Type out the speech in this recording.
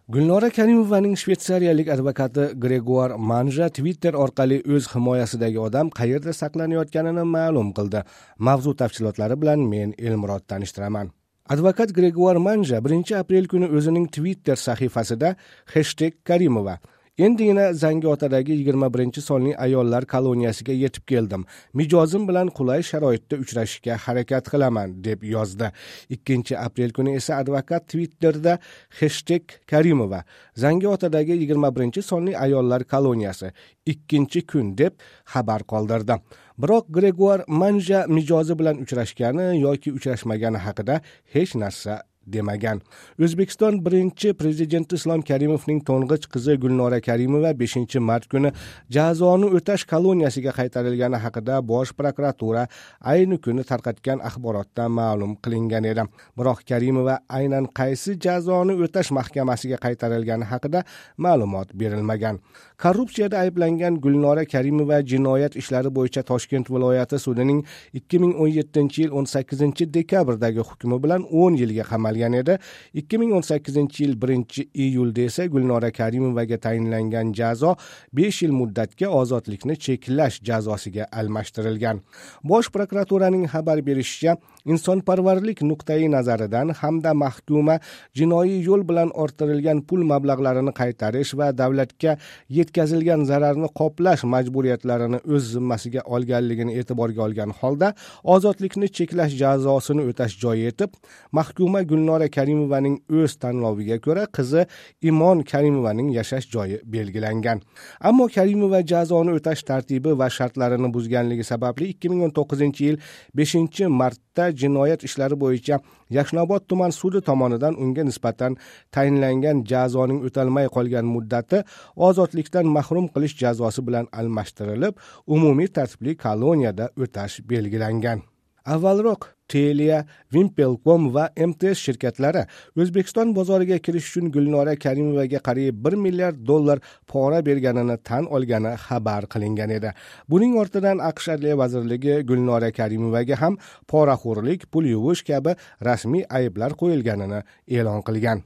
Gulnora Karimovaning shvetsariyalik advokati Gregoire Manja Twitter orqali o'z himoyasidagi odam qayerda saqlanayotganini ma'lum qildi. Mavzu tafsilotlari bilan men Elmurod tanishtiraman. Advokat Gregoire Manja 1-aprel kuni o'zining Twitter sahifasida #Karimova endigina Zangiotadagi 21-sonli ayollar koloniyasiga yetib keldim. Mijozim bilan qulay sharoitda uchrashishga harakat qilaman, deb yozdi. 2-aprel kuni esa advokat Twitterda #Karimova Zangiotadagi 21-sonli ayollar koloniyasi 2-kun deb xabar qoldirdi. Biroq Gregoire Manja mijozi bilan uchrashgani yoki uchrashmagani haqida hech narsa demagan. O'zbekiston birinchi prezidenti Islom Karimovning to'ng'ich qizi Gulnora Karimova 5-mart kuni jazoni o'tash koloniyasiga qaytarilgani haqida Bosh prokuratura ayni kuni tarqatgan axborotda ma'lum qilingan edi. Biroq Karimova aynan qaysi jazoni o'tash mahkamasiga qaytarilgani haqida ma'lumot berilmagan. Korrupsiyada ayblangan Gulnora Karimova jinoyat ishlari bo'yicha Toshkent viloyati sudining 2017-yil 18-dekabrdagi hukmi bilan 10 yilga qamalgan edi. 2018-yil 1-iyulda esa Gulnora Karimovaga tayinlangan jazo 5 yil muddatga ozodlikni cheklash jazosiga almashtirilgan. Bosh prokuraturaning xabar berishicha, insonparvarlik nuqtai nazaridan hamda mahkuma jinoiy yo'l bilan orttirilgan pul mablag'larini qaytarish va davlatga yetkazilgan zararni qoplash majburiyatlarini o'z zimmasiga olganligini e'tiborga olgan holda ozodlikni cheklash jazosini o'tash joyi etib mahkuma Gulnora Karimovaning o'z tanloviga ko'ra qizi Imon Karimovaning yashash joyi belgilangan. Ammo Karimova jazoni o'tash tartibi va shartlarini buzganligi sababli 2019-yil 5-martda jinoyat ishlari bo'yicha Yashnobod tuman sudi tomonidan unga nisbatan tayinlangan jazoning o'talmay qolgan muddati ozodlikdan mahrum qilish jazosi bilan almashtirilib, umumiy tartibli koloniyada o'tash belgilangan. Avvalroq Telia, Vimpelcom va MTS shirkatlari O'zbekiston bozoriga kirish uchun Gulnora Karimovaga qariyb $1 milliard pora berganini tan olgani xabar qilingan edi. Buning ortidan AQSh Adliya vazirligi Gulnora Karimovaga ham poraxo'rlik, pul yuvish kabi rasmiy ayblar qo'yilganini e'lon qilgan.